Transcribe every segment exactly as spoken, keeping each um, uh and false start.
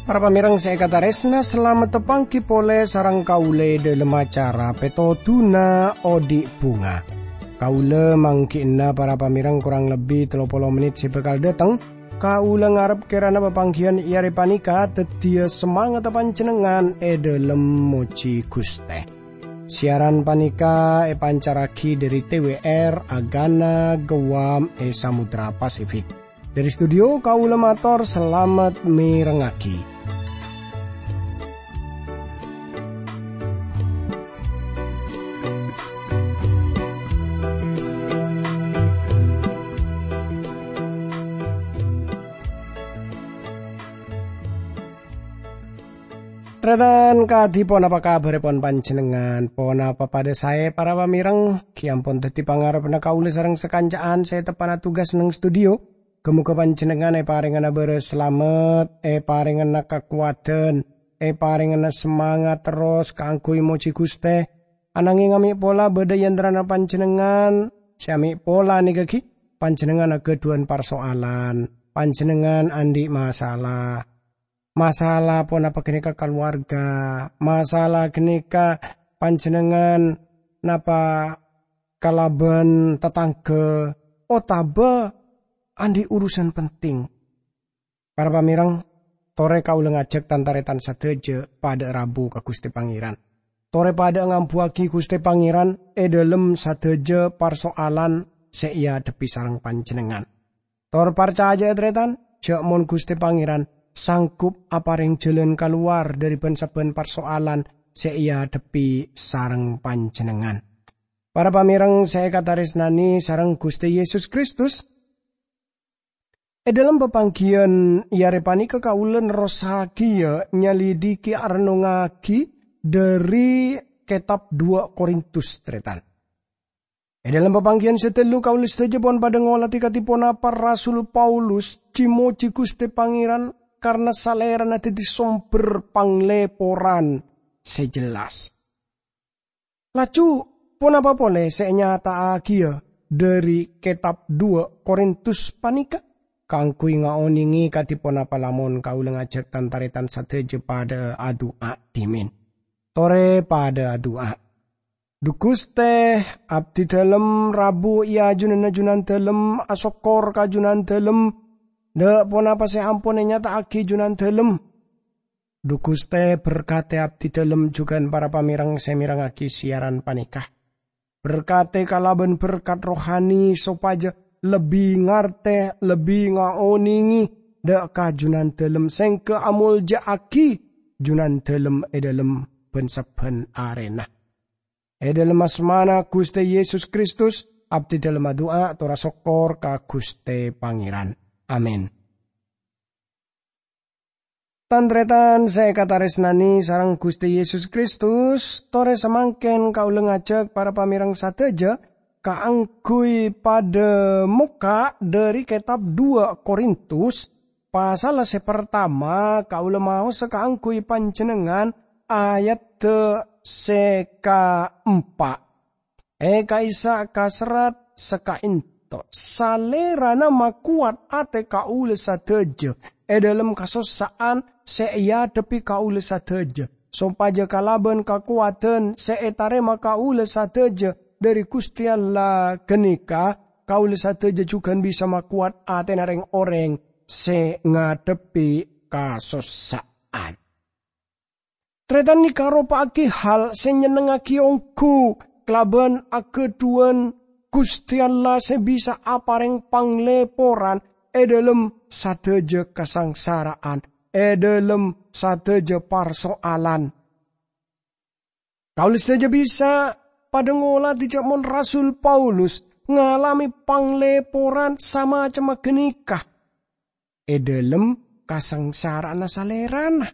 Para pamèrèng sè èkatarèsna, salamet tapangghi polè sareng kaulâ è dhâlem acara Pètodhuna Odi' Bhunga. Kaulâ mangghi'na para pamèrèng korang lebbi tello polo mennit sè bhâkal dhâteng. Kaulâ ngarep kèrana papangghiyân è arè panèka dhâddhiyâ samangatta panjhennengngan è dhâlem mojhi Ghustè. Siaran panèka èpancarraghi dhâri T W R Agana Guam è Samudra Pasifik. Dhâri studio, kaulâ mator salamet mèrengngaghi. Tarètan, kadhi ponapa kabhârrâ pon panjhennengngan? Ponapa padâ saè, para pamèrèng? Ghi' ampon dhâddhi pangarebbhâ kaulâ sareng sakanca'an sè teppa'na tugas neng studio. Ghâ-moghâ panjhennengngan èparèngana bârâs salamet, èparèngana kakowadhân, èparèngana samangat terros kaangghuy mojhi Ghustè. Ananghèng amè' pola bâdâ è antarana panjhennengngan sè amè' pola nèka ghi, panjhennengngan aghâdhuwân parsoalan, panjhennengngan andi' masalah. Masalah ponapa ghânèka kalowarga, masalah ghânèka panjhennengngan napa kalabân tatangghâ, otabâ andi' urusan penting. Para pamèrèng, torè kaulâ ngajhâk tan-tarètan sadhâjâ padâ rabu ka Ghustè Pangèran. Torè padâ ngambuwâghi Ghustè Pangèran è dhâlem sadhâjâ parsoalan sè èadhebbhi sareng panjhennengngan. Tor parcajâ'â, tarètan, jhâ' mon Ghustè Pangèran sanggup aparèng jhâlân kalowar dhâri bân-sabbhân parsoalan sè èadhebbhi sareng panjhennengngan. Para pamèrèng sè èkatarèsnanè sareng Ghustè Yesus Kristus, è dhâlem papangghiyân è arè panèka kaulâ nerrossaghiyâ nyalidiki arennongngaghi dhâri kètab Dua Korintus, tarètan. È dhâlem papangghiyân sè tello kaulâ sadhâjâ pon padâ ngolatè kadhi ponapa Rasul Paulus jhi-mojhi Ghustè Pangèran karna Salèrana dhâddhi sombher panglèporan sè jelas. Laju, ponapa polè sè ènyata'aghiyâ dhâri kètab Dua Korintus panèka? Kaangghuy ngaonèngè kadhi ponapa lamon kaulâ ngajhâk tan-tarètan sadhâjâ padâ adu'a dhimèn. Torè padâ adu'a. Dhu Ghustè, abdhi dhâlem rabu è ajunanna Junandhâlem asokkor ka Junandhâlem, dâ' ponapa sè ampon ènyata'aghi Junandhâlem. Dhu Ghustè, berkatè abdhi dhâlem jhughân para pamèrèng sè mèrengngaghi siaran panèka. Berkatè kalabân berkat rohani sopajâ lebbi ngartè, lebbi ngaonèngè dâ' ka Junandhâlem sèngghâ amolja'aghi Junandhâlem è dhâlem bân-sabbhân arèna. È dhâlem asmana Ghustè Yesus Kristus, abdhi dhâlem adu'a tor asokkor ka Ghustè Pangèran. Amin. Tan-tarètan sè èkatarèsnanè sareng Ghustè Yesus Kristus, torè samangkèn kaulâ ngajhâk para pamèrèng sadhâjâ kaangghuy padâ mokka' dhâri kètab Dua Korintus, pasalla sè partama, kaulâ maosa kaangghuy panjhennengngan ayadda sè kaempa'. È ka'issa' ka serrat sakaènto', Salèrana makowat atè kaulâ sadhâjâ è dhâlem kasossa'an sè èadhebbhi kaulâ sadhâjâ, sopajâ kalabân kakowadhân sè ètarèma kaulâ sadhâjâ dhâri Ghustè Allah ghânèka, kaulâ sadhâjâ jhughân bisa makowat atèna rèng-orèng sè ngadhebbhi kasossa'an. Tarètan, nèka aropa'aghi hal sè nyennengngaghi ongghu kalabân aghâdhuwân Ghustè Allah sè bisa aparèng panglèporan è dhâlem sadhâjâ kasangsara'an, è dhâlem sadhâjâ parsoalan. Kaulâ sadhâjâ bisa padâ ngolatè jhâ' mon Rasul Paulus ngalamè panglèporan samacemma ghânèka è dhâlem kasangsara'anna salèrana.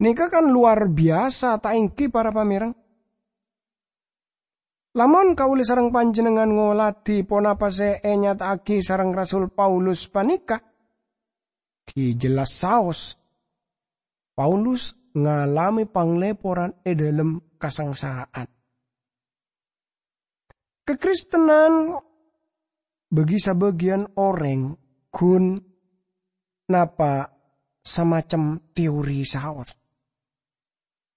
Nèka kan lowar biyasa, ta' èngghi, para pamèrèng? Lamon kaulâ sareng panjhennengngan ngolatè ponapa sè ènyata'aghi sareng Rasul Paulus panèka, ghi' jelas saos. Paulus ngalamè panglèporan è dhâlem kasangsara'an. Kakristenan bagi sabâgiyân orèng ghun napa' samacem teori saos.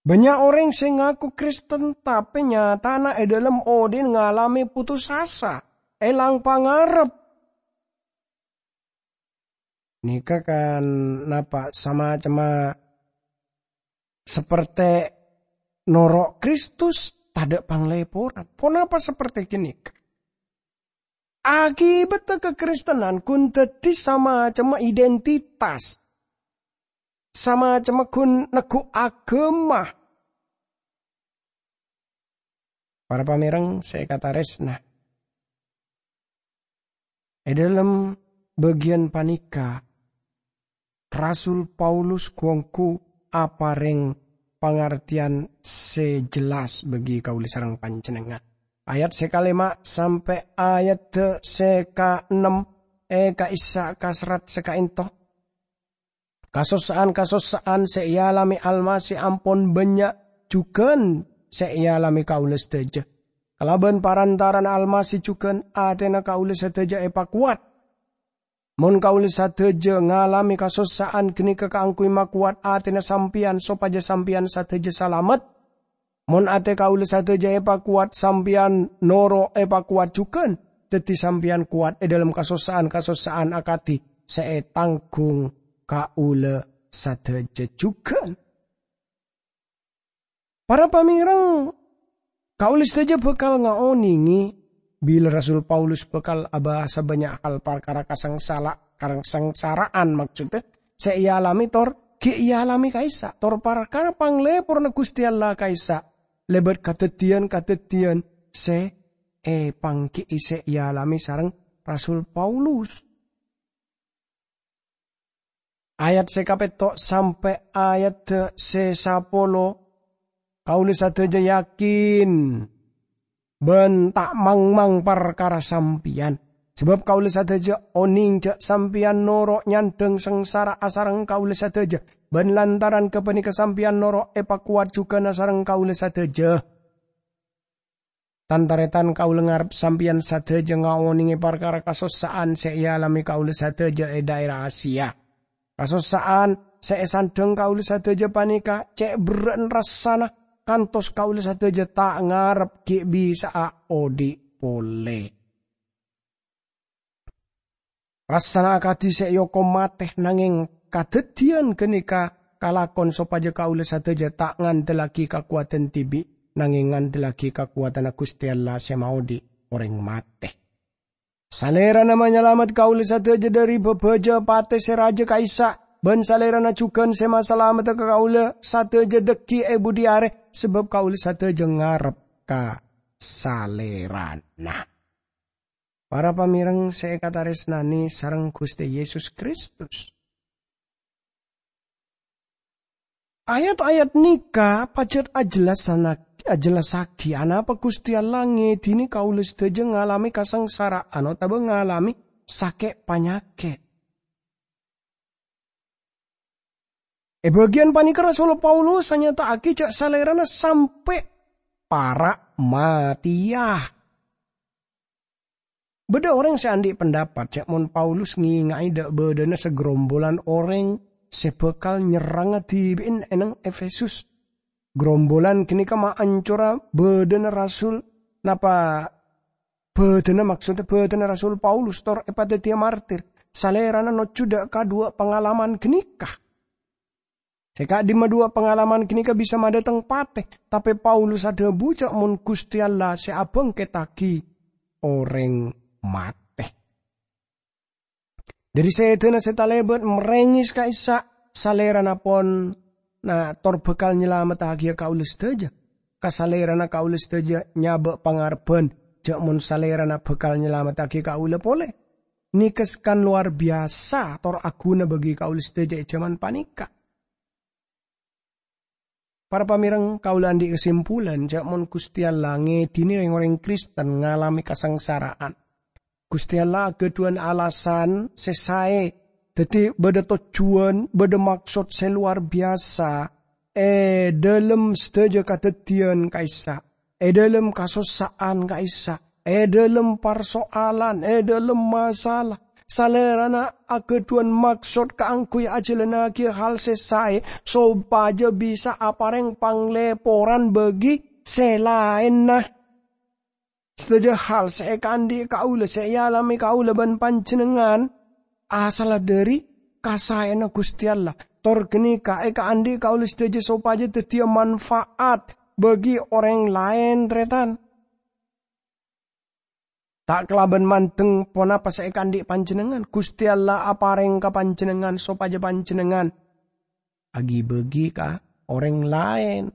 Bânnya' orèng sè ngako Kristen, tapè nyatana è dhâlem odi'na ngalamè putus asa, èlang pangarep. Nèka kan napa' samacemma saperte noro' Kristus, tadâ' panglèporan. Ponapa saperte ghânèka? Akibatta kakristenan ghun dhâddhi samacemma identitas, samacemma ghun neggu' aghâma. Para pamèrèng sè èkatarèsna, è dhâlem bâgiyân panèka, Rasul Paulus ghu-ongghu aparèng pangartèyan sè jelas bagi kaulâ sareng panjhennengngan. Ayat sè kalèma' sampè' ayat sè kaennem è ka'issa' kaserrat sè ka'ènto. Kasossa'an-kasossa'an sè èalamè Almasih ampon bânnya' jhughân sè èalamè kaulâ sadhâjâ. Kalabân parantara'anna Almasih jhughân atèna kaulâ sadhâjâ èpakowat. Mon kaulâ sadhâjâ ngalamè kasossa'an ghânèka kaangghuy makowat atèna sampèyan sopajâ sampèyan sadhâjâ salamet, mon atè kaulâ sadhâjâ èpakowat, sampèyan noro' èpakowat jhughân, dhâddhi sampèyan kowat è dhâlem kasossa'an-kasossa'an akadhi sè ètangghung kaulâ sadhâjâ jhughân. Para pamèrèng, kaulâ sadhâjâ bhâkal ngaonèngè bilâ Rasul Paulus bhâkal abahasa bânnya' hal parkara kasangsala-, kasangsara'an, maksoddhâ, sè èalamè tor ghi' èalamè ka'issa', tor parkara panglèporanna Ghustè Allah ka'issa', lèbât kadhâddhiyân-kadhâddhiyân sè èpangghi'i sè èalamè sareng Rasul Paulus. Ayat sè kapètto' sampè' ayat sè sapolo, kaulâ sadhâjâ yakin bân ta' mangmang parkara sampèyan. Sabâb kaulâ sadhâjâ onèng jâ' sampèyan noro' nyandhâng sangsara asareng kaulâ sadhâjâ, bân lantaran ghâpanèka sampèyan noro' èpakowat jhughân asareng kaulâ sadhâjâ. Tan-tarètan, kaulâ ngarep sampèyan sadhâjâ ngaonèngè parkara kasossa'an sè èalamè kaulâ sadhâjâ è dhaèra Asia. Kasossa'an sè èsandhâng kaulâ sadhâjâ panèka cè' berrâ'na rassana, kantos kaulâ sadhâjâ ta' ngarep ghi' bisa'a odi' polè. Rassana akadhi sè èokom matè, nangèng kadhâddhiyân ghânèka kalakon sopajâ kaulâ sadhâjâ ta' ngandellaghi kakowadhân dhibi', nangèng ngandellaghi kakowadhânna Ghustè Allah sè maodi' orèng matè. Salèrana manyalamet kaulâ sadhâjâ dhâri bhâbhâjâ patè sè rajâ ka'issa', bân Salèrana jhughân sè masalamedda ka kaulâ sadhâjâ dhâggi' è budi arè, sabâb kaulâ sadhâjâ ngarep ka Salèrana. Para pamèrèng sè èkatarèsnanè sareng Ghustè Yesus Kristus. Ayat-ayat nèka pajhât ajellasana-, ajellassaghi anapa Ghustè Allah ngèdinè kaulâ sadhâjâ ngalamè kasangsara'an otabâ ngalamè sakè' panyakèt. È bâgiyân panèka Rasul Paulus anyata'aghi jâ' Salèrana sampè' para' matèya. Bâdâ orèng sè andi' pendapat jâ' mon Paulus ngènga'è dâ' bâdâna sagrombolan orèng sè bhâkal nyerranga dhibi'na è neng Efesus. Grombolan ghânèka maancora bâdâna rasul, napa bâdâna, maksoddhâ bâdâna Rasul Paulus, tor èpadhâddhiyâ martir. Salèrana nojjhu dâ' kaduwâ pangalaman ghânèka. Sè ka'dimma duwâ pangalaman ghânèka bisa madhâteng patè, tapè Paulus adhâbu jâ' mon Ghustè Allah sè abhângkèttaghi orèng matè. Dhâri sèdhâna sè talèbât marèngès ka'issa', Salèrana pon na-, tor bhâkal nyalamettaghiyâ kaulâ sadhâjâ. Ka Salèrana kaulâ sadhâjâ nyabâ' pangarebbhân, jâ' mon Salèrana bhâkal nyalamettaghi kaulâ polè. Nèka sakèng lowar biyasa tor aghuna bagi kaulâ sadhâjâ è jhâman panèka. Para pamèrèng, kaulâ andi' kasimpulan jâ' mon Ghustè Allah ngèdinè rèng-orèng Kristen ngalamè kasangsara'an, Ghustè Allah aghâdhuwân alasan sè saè, dhâddhi bâdâ tojjhuwân, bâdâ maksod sè lowar biyasa è dhâlem sadhâjâ kadhâddhiyân ka'issa', è dhâlem kasossa'an ka'issa', è dhâlem parsoalan, è dhâlem masalah. Salèrana aghâdhuwân maksod kaangghuy ajhâlânnaghi hal sè saè, sopajâ bisa aparèng panglèporan bagi sè laènna. Sadhâjâ hal sè èkaandhi' kaulâ, sè èalamè kaulâ bân panjhennengngan, asalla dhâri kasaèyanna Ghustè Allah. Tor ghânèka èkaandhi' kaulâ sadhâjâ sopajâ dhâddhiyâ manfaat bagi orèng laèn, tarètan. Ta' kalabân mandeng ponapa sè èkaandhi' panjhennengngan, Ghustè Allah aparèng ka panjhennengngan sopajâ panjhennengngan aghi-bâghi ka orèng laèn.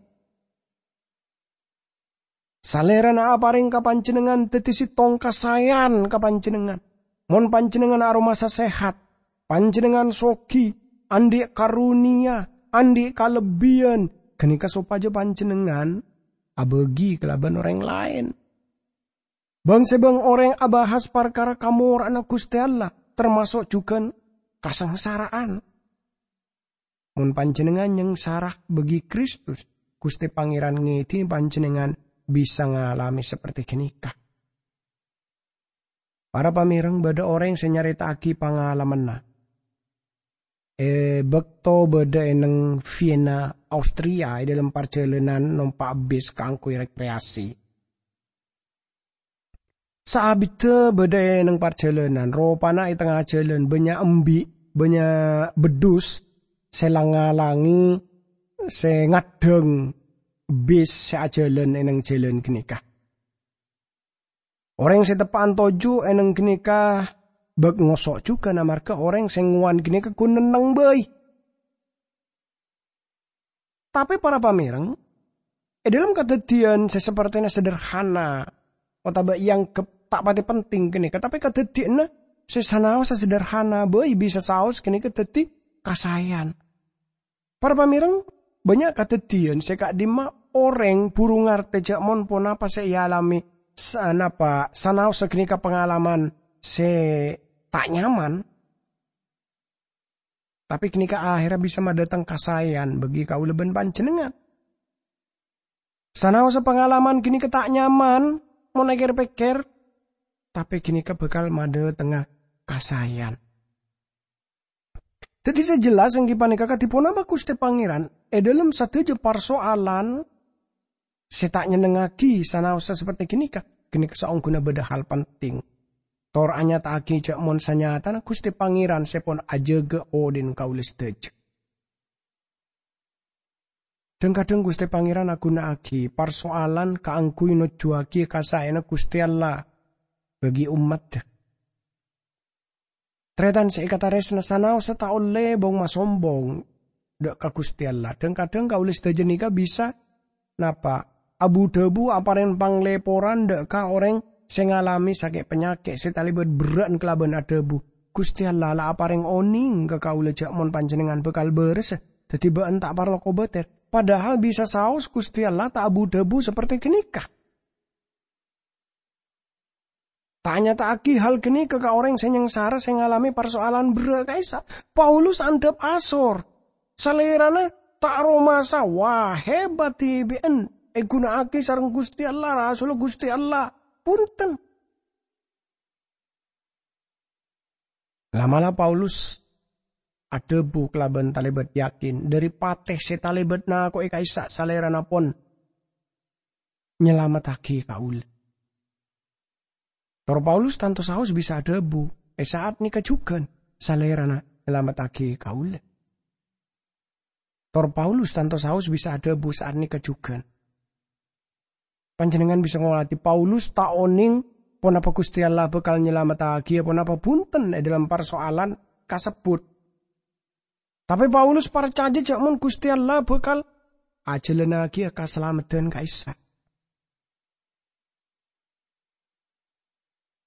Salèrana aparèng ka panjhennengngan dhâddhi sèttong kasaèyan ka panjhennengngan. Mon panjhennengngan aromasa sehat, panjhennengngan soghi, andhi' karonèya, andhi' kalebbiyân, ghânèka sopajâ panjhennengngan abâghi kalabân orèng laèn. Bâng-sèbâng orèng abahas parkara kamora'anna Ghustè Allah, tamaso' jhughân kasangsara'an. Mon panjhennengngan nyangsara bâghi Kristus, Ghustè Pangèran ngèdhini panjhennengngan bisa ngalamè saperte ghânèka. Para pamèreng, bâdâ orèng sè nyarèta'aghi pangalamanna. È bâkto bâdâ è neng Vienna, Austria, è dhâlem parjhâlânan nompa' bis kaangghuy rekreasi. Saabiddhâ bâdâ è neng parjhâlânan, ropana è tengnga jhâlân bânnya' embi', bânnya' beddhus sè lang-ngalangè, sè ngaddhâng bis sè ajhâlân è neng jhâlân ghânèka. Orèng sè teppa'an toju' è neng ghânèka bâk ngoso' jhughân amarghâ orèng sè ngowan ghânèka ghun nenneng bhâi. Tapè para pamèreng, è dhâlem kadhâddhiyân sè sapertèna sederhana otabâ èangghep ta' patè penting ghânèka, tapè kadhâddhiyânna sè sanaossa sederhana bhâi bisa saos ghânèka dhâddhi kasaèyan. Para pamèreng, bânnya' kadhâddhiyân sè ka'dimma orèng buru ngartè jâ' mon ponapa sè èalamè sa-, napa sanaossa ghânèka pangalaman sè ta' nyaman. Tapè ghânèka aherra bisa madhâteng kasaèyan bâgi kaulâ bân panjhennengngan. Sanaossa pangalaman ghânèka ta' nyaman, mon èkèr-pèkkèr, tapè ghânèka bhâkal madhâtengnga kasaèyan. Dhâddhi sè jelas èngghi panèka kadhi ponapa Ghustè Pangèran è dhâlem sadhâjâ parsoalan sè ta' nyennengngaghi sanaossa saperte ghânèka, ghânèka saongghuna bâdâ hal penting. Tor anyata'aghi jâ' mon sanyatana Ghustè Pangèran sè pon ajâgâ odhi'na kaulâ sadhâjâ. Dhâng-kadhâng Ghustè Pangèran aghuna'aghi parsoalan kaangghuy nojjuwaghi kasaèyanna Ghustè Allah bâgi ommaddhâ. Tarètan sè èkatarèsna, sanaossa ta' ollè bong-masombong dâ' ka Ghustè Allah. Dhâng-kadhâng kaulâ sadhâjâ nèka bisa napa? Abu-dhâbu aparèng panglèporan dâ' ka orèng sè ngalamè sakè' panyakè' sè talèbât berrâ'ân kalabân adhâbu, "Ghustè Allah la aparèng onèng ka kaulâ jâ' mon panjhennengngan bhâkal bârâsa, dhâddhi bâ'ân ta' parlo kobâtèr." Padahal bisa saos Ghustè Allah ta' abu-dhâbu saperte ghânèka. Ta' nyata'aghi hal ghânèka ka orèng sè nyangsara sè ngalamè parsoalan berrâ' ka'issa'. Paulus andhâp asor. Salèrana ta' aromasa, wah, hebat dhibi'ân èghuna'aghi sareng Ghustè Allah, rasulla Ghustè Allah. Bhunten. La'-mala' Paulus adhâbu kalabân talèbât yakin, "Dhâri patè sè talèbât nako'è ka'issa' Salèrana pon nyalamettaghi kaulâ." Tor Paulus tanto saos bisa adhâbu, "È sa'at nèka jhughân Salèrana nyalamettaghi kaulâ." Tor Paulus tanto saos bisa adhâbu, "Sa'at nèka jhughân." Panjhennengngan bisa ngolatè Paulus ta' onèng ponapa Ghustè Allah bhâkal nyalamettaghi ponapa bhunten è dhâlem parsoalan kasebbhut. Tapè Paulus parcajâ jâ' mon Ghustè Allah bhâkal ajhâlânnaghi kasalameddhân ka'issa'.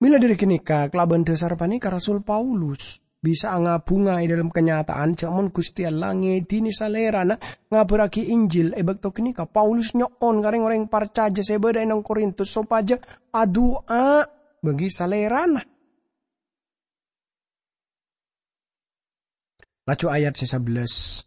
Mèla dhâri ghânèka, kalabân dhâsar panèka Rasul Paulus bisa angabhunga è dhâlem kanyata'an jâ' mon Ghustè Allah ngèdhini Salèrana ngabârraghi Injil. È bâkto ghânèka, Paulus nyo'on ka rèng-orèng parcajâ sè bâdâ è nang Korintus sopajâ adu'a bâgi Salèrana. Laju ayat sè sabellâs.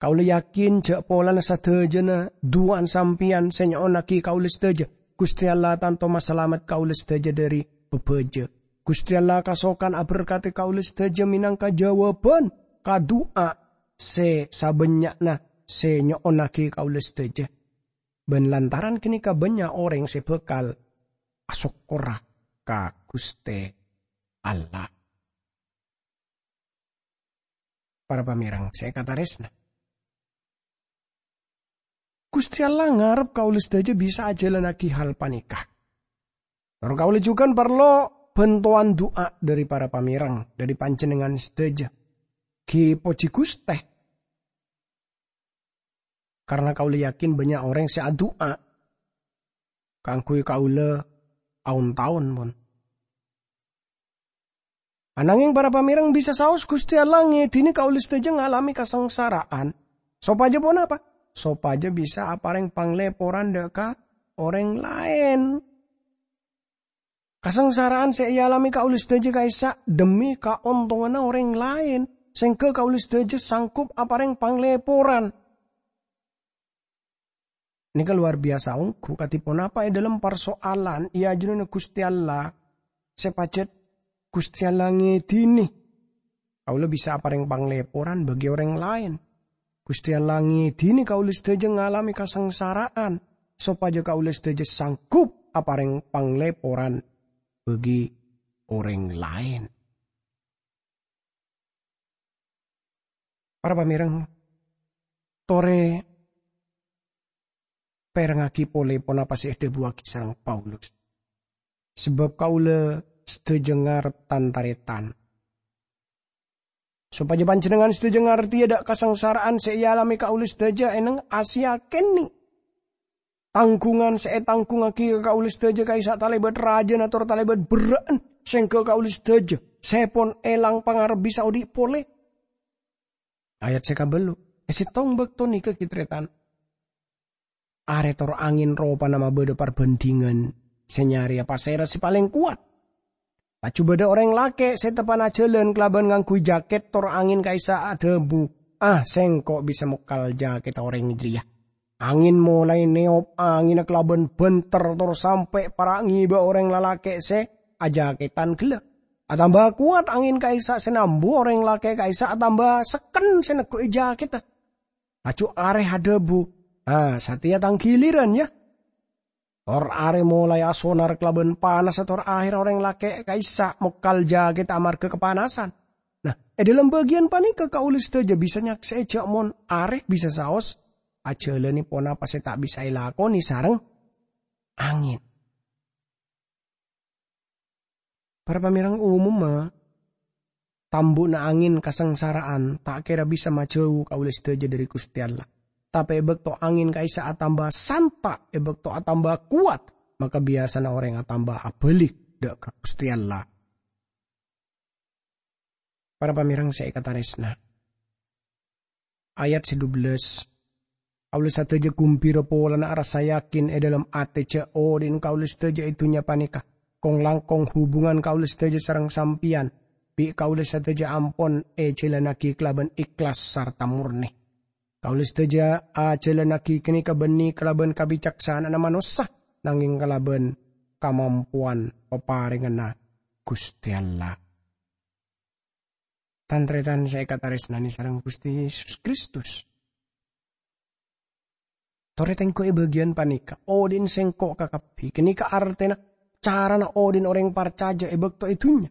Kaulâ yakin jhâ' polana sadhâjâna du'ana sampèyan sè nyo'onnaghi kaulâ sadhâjâ, Ghustè Allah tanto masalamet kaulâ sadhâjâ dhâri bâbâjâ. Ghustè Allah kasokan aberkadhi kaulâ sadhâjâ mènangka jâwâbhân ka du'a sè sabânnya'na sè nyo'onnaghi kaulâ sadhâjâ. Bân lantaran ghânèka bânnya' orèng sè bhâkal asokkorra ka Ghustè Allah. Para pamèrèng sè èkatarèsna, Ghustè Allah ngarep kaulâ sadhâjâ bisa ajhâlânnaghi hal panèka. Tor kaulâ jhughân parlo bhântowan du'a dhâri para pamèrèng, dhâri panjhennengngan sadhâjâ. Ghi pojhi Ghustè, karna kaulâ yakin bânnya' orèng sè adu'a kaangghuy kaulâ aon-taon, pon. Anangèng para pamèrèng bisa saos Ghustè Allah ngèdhinè kaulâ sadhâjâ ngalamè kasangsara'an. Sopajâ ponapa? Sopajâ bisa aparèng panglèporan dhâ' ka orèng laèn. Kasangsara'an sè èalamè kaulâ sadhâjâ ka'issa' dhemmi kaontonganna orèng laèn, sèngghâ kaulâ sadhâjâ sanggup aparèng panglèporan. Nèka lowar biyasa ongghu, kadhi ponapa è dhâlem parso'alan è ajunanna Ghustè Allah sè pajhât Ghustè Allah ngèdhinè. Kaulâ bisa aparèng panglèporan bagi orèng laèn. Ghustè Allah ngèdhinè kaulâ sadhâjâ ngalamè kasangsara'an, sopajâ kaulâ sadhâjâ sanggup aparèng panglèporan bagi orèng laèn. Para pamèrèng, torè pèrengngaghi polè ponapa sè èdhâbuwaghi sareng Paulus. Sabâb kaulâ sadhâjâ ngarep tan-tarètan. Sopajâ panjhennengngan sadhâjâ ngartèya dhâ' kasangsara'an sè èalamè kaulâ sadhâjâ èneng asèya kènè'. Tangghungan sè ètangghungngaghi ka kaulâ sadhâjâ ka'issa' talèbât rajâna tor talèbât berrâ'ân, sèngghâ kaulâ sadhâjâ sè pon èlang pangarep bisa odi' polè. Ayat sè kabâllu', è sèttong bâkto nèka ghi' tarètan. Arè tor angèn ropana mabâdâ parbhândhingan sè nyarèya pasèra sè palèng kowat. Laju bâdâ orèng lakè' sè teppa'na jhâlân kalabân ngangghuy jakèt tor angèn ka'issa' adhâbu, "Ah, sèngko' bisa mokal jakètta orèng jârèya." Angèn molaè nèyop angènna kalabân bhânter tor sampè' para' ngèbâ orèng lalakè' sè ajakètan ghellâ'. Atamba kowat angèn ka'issa' sè nambu orèng lakè' ka'issa' atamba sekken sè negghu'i jakètta. Laju arè adhâbu, "Ah, satèya tang ghilirân, yâ." Tor arè molaè asonar kalabân panassa tor ahèrra orèng lakè' ka'issa' mokal jakèt amarghâ kapanasan. Nah, è dhâlem bâgiyân panèka kaulâ sadhâjâ bisa nyaksè'è jâ' mon arè bisa saos ajhâlânè ponapa sè ta' bisa èlakonè sareng angèn. Para pamèrèng, omomma tambu'na angèn kasangsara'an ta' kèra bisa majâu kaulâ sadhâjâ dhâri Ghustè Allah. Tapè è bâkto angèn ka'issa' atamba santa', è bâkto atamba kowat, maka biyasana orèng atamba abâli dhâ' ka Ghustè Allah. Para pamèrèng sè èkatarèsna. Ayat sè dubellâs. Kaulâ sadhâjâ gumbira polana arassa yakin è dhâlem atè jâ' odi'na kaulâ sadhâjâ è dhunnya panèka, kong-langkong hubungan kaulâ sadhâjâ sareng sampèyan, bi' kaulâ sadhâjâ ampon èjhâlânnaghi kalabân ikhlas sarta mornè. Kaulâ sadhâjâ ajhâlânnaghi ghânèka bânnè kalabân kabicaksana'anna manossa, nangèng kalabân kamampowan paparènganna Ghustè Allah. Tan-tarètan sè èkatarèsnanè sareng Ghustè Yesus Kristus. Torè tèngghu è bâgiyân panèka, odi'na sèngko' kakabbhi. Ghânèka artèna carana odi'na orèng parcajâ è bâkto è dhunnya.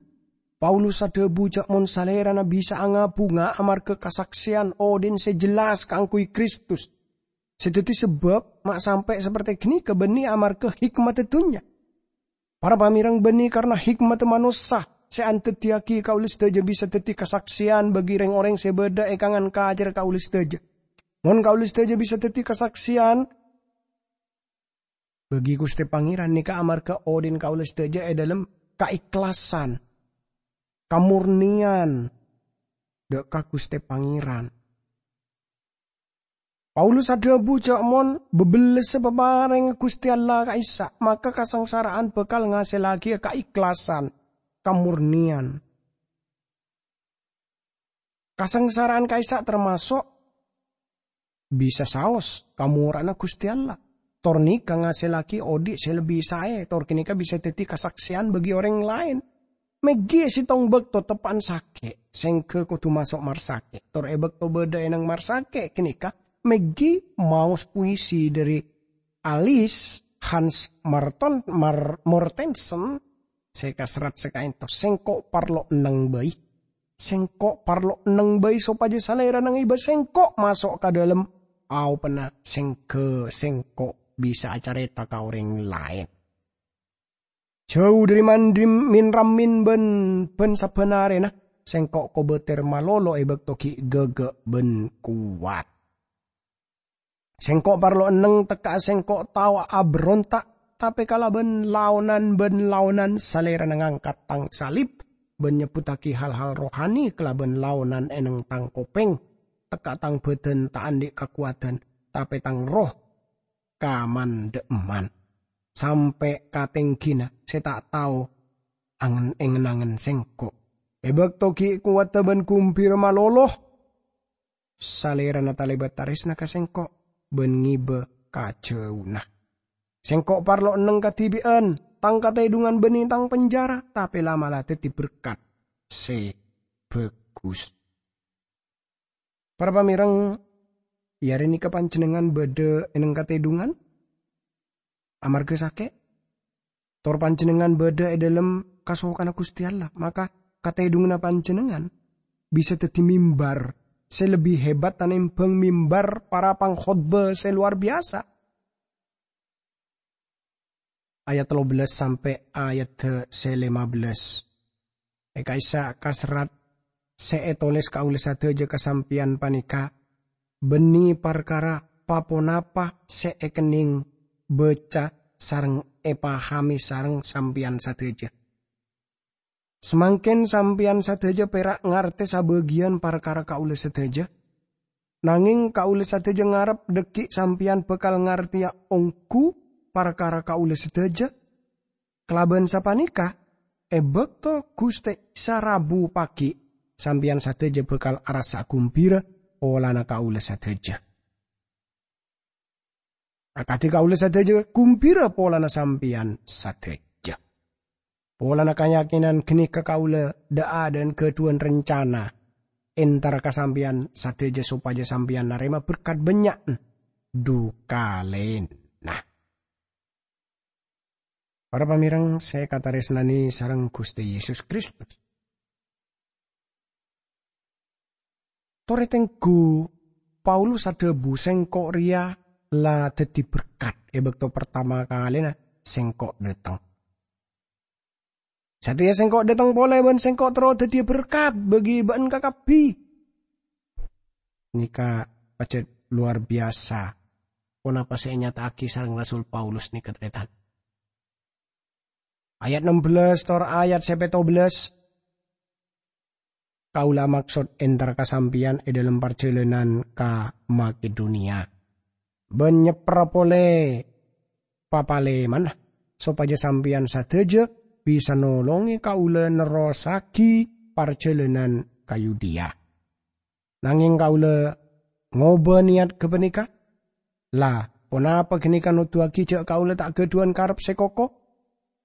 Paulus adhâbu jâ' mon salèrana bisa nga-bhunga amarghâ kasaksèyan odi'na sè jelas kaangghuy Kristus. Sè dhâddhi sabâb ma' sampè' saperte ghânèka bânnè amarghâ hikmadhâ dhunnya. Para pamèrèng, bânnè karna hikmadhâ manossa sè andhâddhiyâghi kaulâ sadhâjâ bisa dhâddhi kasaksèyan bagi rèng-orèng sè bâdâ è kangan kacèra kaulâ sadhâjâ. Mon kaulâ sadhâjâ bisa dhâddhi kasaksèyan bagi Ghustè Pangèran nèka amarghâ odi'na kaulâ sadhâjâ è dhâlem kaikhlasan, kamornèyan dhâ' ka Ghustè Pangèran. Paulus adhâbu jâ' mon bâbellessa paparèngnga Ghustè Allah ka'issa', maka kasangsara'an bhâkal ngasèllaghi kaikhlasan, kamornèyan. Kasangsara'an ka'issa' tamaso' bisa saos ka mora'na Guste Allah, tor neka ngasellagi odhi' se lebbi sae, tor ganeka bisa daddi kasakseyan bagi oreng laen. Meggi e settong bakto teppa'an sake', sengga kodu maso' marsake', tor e bakto badha e neng marsake' ganeka, meggi maos puisi dhari Alice Hans Marton, Mar-, Mortensen, se kaserrat sakaento, "Sengko' parlo enneng bai. Sengko' parlo enneng bai sopaja Salerana ngeba sengko' maso' ka dhalem aopanna sengga sengko' bisa acareta ka oreng laen. Jau dhari mandhi min-ramin ban, ban sabban arena, sengko' kobater malolo e bakto gi' gaga ban kowat. Sengko' parlo enneng tekka'a sengko' tao aberonta', tape kalaban laonan ban laonan Salerana ngangkat tang salib ban nyebbuttagi hal-hal rohani kalaban laonan e neng tang kopeng, tekka' tang badan ta' andhi' kakowadan, tape tang erroh kamandha'emman, sampe' ka tenggina se ta' tao angen-, engen-angen sengko'. E bakto gi' kowadda ban gumbira malolo, Salerana talebat taresna ka sengko' ban ngeba ka jauna. Sengko' parlo enneng kadibi'an, tang katedhungan banne tang penjara, tape la'-mala' daddi berkat se bagus." Para pamereng, e are neka panjennengngan badha e neng katedhungan amarga sake'? Tor panjennengngan badha e dhalem kasokanna Guste Allah, maka katedhunganna panjennengngan bisa daddi mimbar se lebbi hebat tanembang mimbar para pangkhotba se lowar biyasa. Ayat tello bellas sampe' ayat se lema bellas. E ka'issa' kaserrat se etoles kaula sadaja ka sampeyan paneka banne parkara pa-ponapa se ekenneng baca sareng epahame sareng sampeyan sadaja. Samangken sampeyan sadaja pera' ngarte sabagiyan parkara kaula sadaja, nangeng kaula sadaja ngarep dhaggi' sampeyan bakal ngarteya onggu parkara kaula sadaja. Kalaban sapaneka, e bakto Guste Isa rabu pagi, sampeyan sadaja bakal arassa gumbira polana kaula sadaja. Akadi kaula sadaja gumbira polana sampeyan sadaja. Polana kayakinan ganeka kaula dha'-adha'an gadhuwan rencana entar ka sampeyan sadaja sopaja sampeyan narema berkat bannya' du kalena. Para pamereng se kataresnane sareng Guste Yesus Kristus. Tore tenggu, Paulus adhabu, "Sengko' reya la daddi berkat e bakto partama kalena sengko' dhateng. Sateya sengko' dhateng pole ban sengko' terro daddiya berkat bagi ba'en kakabbhi." Neka pajat lowar biyasa ponapa se enyata'agi sareng Rasul Paulus neka, taretan. Ayat ennem bellas tor ayat se petto bellas, "Kaula maksod entar ka sampeyan e dhalem parjalanan ka Makedoniya, ban nyepperra pole papalemana, sopaja sampeyan sadaja bisa nolonge kaula nerrossagi parjalanan ka Yudea. Nangeng kaula ngoba niyat gapaneka. La, ponapa ganeka noduwagi ja' kaula ta' gadhuwan karep se koko?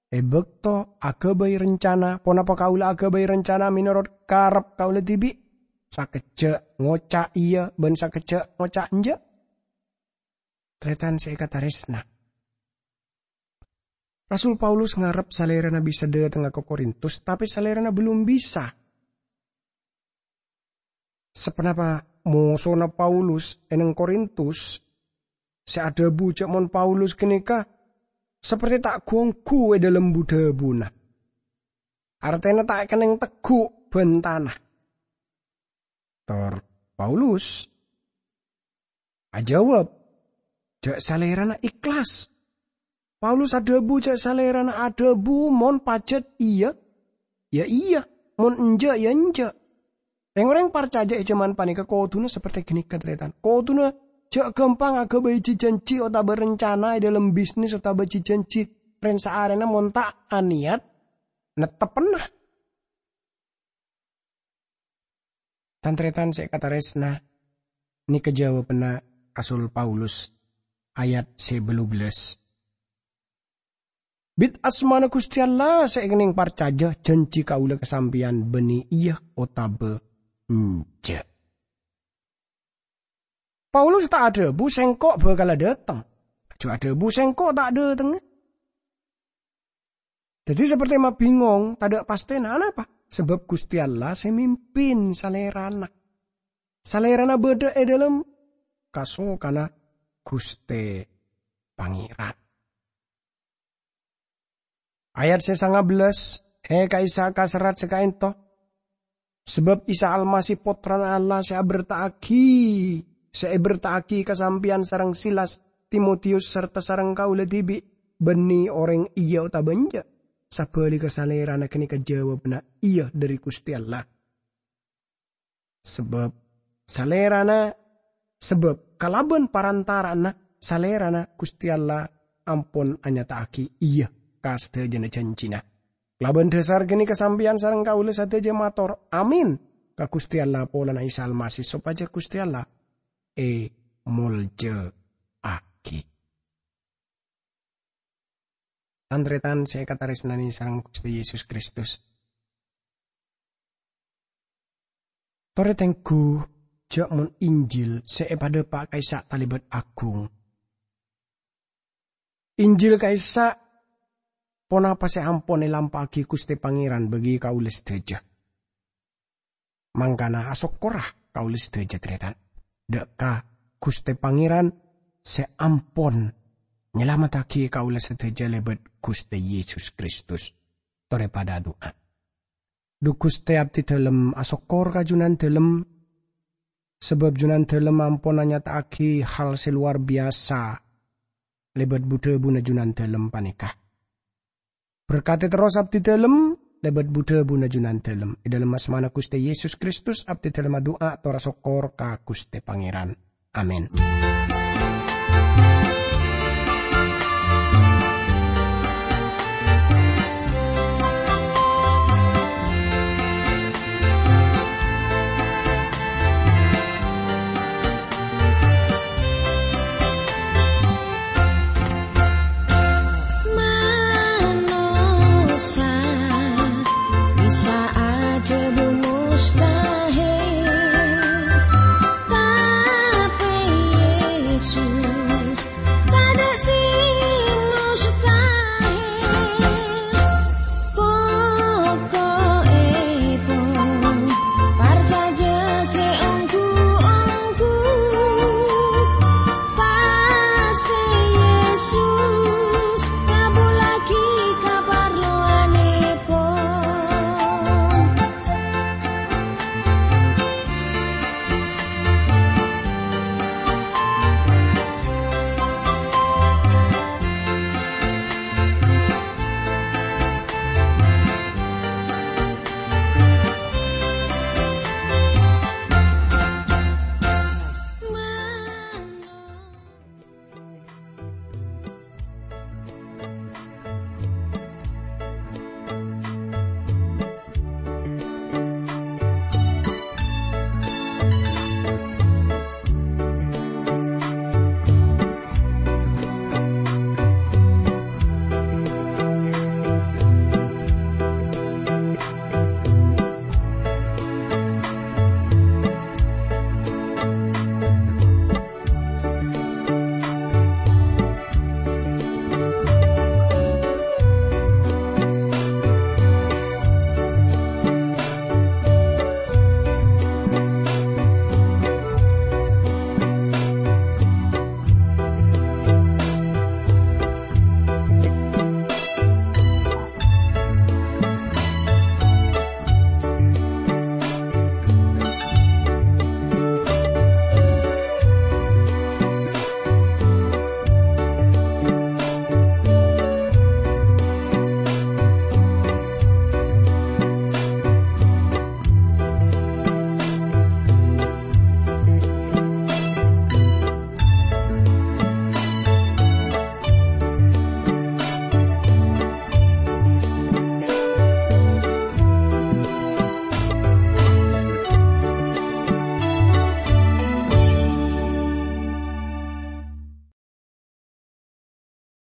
E bakto agabay rencana, ponapa kaula agabay rencana menorot karep kaula dibi'? Sakejja' ngoca' iya ban sakejja' ngoca' enja'?" Taretan se ekataresna, Rasul Paulus ngarep Salerana bisa dhatengnga ka Korintus, tape Salerana belum bisa. Saponapa mosona Paulus e neng Korintus se adhabu ja' mon Paulus ganeka saperte ta' gu-onggu e dhalem bu-dhabuna, artena ta' kenneng teggu' ban tana. Tor Paulus ajawab ja' Salerana ikhlas. Paulus adhabu ja' Salerana adhabu mon pajat iya, ya iya, mon enja', ya enja'. Reng-oreng parcaja e jaman paneka koduna saperte ganeka, taretan. Koduna ja' gampang agabay ji-janji otaba rencana e dhalem bisnis otaba ji-janji ren-saarena mon ta' aniyat netteppenna. Tan-taretan se ekataresna, neka jawabanna Rasul Paulus, ayat sè bâllu bellâs. "Bit asmana Ghustè Allah sè èkennèng parcajâ, jhânjhi kaulâ ka sampèyan bânnè iyâ otabâ enjâ'." Paulus ta' adhâbu, "Sèngko' bhâkalla dâteng." Jhâ' adhâbu, "Sèngko' ta' dâtengnga." Dhâddhi, sapertè ma' bingong, tadâ' pastèna. Anapa? Sabâb Ghustè Allah sè mimpin Salèrana. Salèrana bâdâ è dâlem kasokanna Ghustè Pangèran. Ayat sè sanga bellâs, è ka'issa' ka serrat sè ka'ènto. Sabâb Isa Almasih, Pottrana Allah sè abherta'aghi, sè èbherta'aghi ka sampèyan sareng Silas, Timotiyus, sarta sareng kaulâ dhibi', bânnè orèng iyâ otabâ enjâ'. Sabhâligghâ, Salèrana ghânèka jawabanna iyâ dhâri Ghustè Allah. Sabâb Salèrana, sabâb kalabân parantara'anna Salèrana, Ghustè Allah ampon anyata'aghi iyâ ka sadhâjâna jhânjhina. Kalabân dhâsar ghânèka sampèyan sareng kaulâ sadhâjâ mator "Amin" ka Ghustè Allah polana Isa Almasih, sopajâ Ghustè Allah èmoljâ'aghi. Tan-tarètan sè èkatarèsnanè sareng Ghustè Yesus Kristus, torè tengghu jhâ' mon Injil sè èpadhâpa' ka'issa' talèbât aghung. Injil ka'issa' ponapa sè ampon èlampa'aghi Ghustè Pangèran bâgi kaulâ sadhâjâ. Mangkana asokkorra kaulâ sadhâjâ, tarètan, dâ' ka Ghustè Pangèran sè ampon nyalamettaghi kaulâ sadhâjâ lèbât Ghustè Yesus Kristus. Torè padâ adu'a. Dhu Ghustè, abdhi dhâlem asokkor ka Jhunandhâlem, sabâb Jhunandhâlem ampon anyata'aghi hal sè lowar biyasa lèbât bu-dhâbuna Jhunandhâlem panèka. Berkadhi terros abdhi dhâlem lèbât bu-dhâbuna Jhunandhâlem. È dâlem asmana Ghustè Yesus Kristus, abdhi dhâlem adu'a tor asokkor ka Ghustè Pangèran. Amin.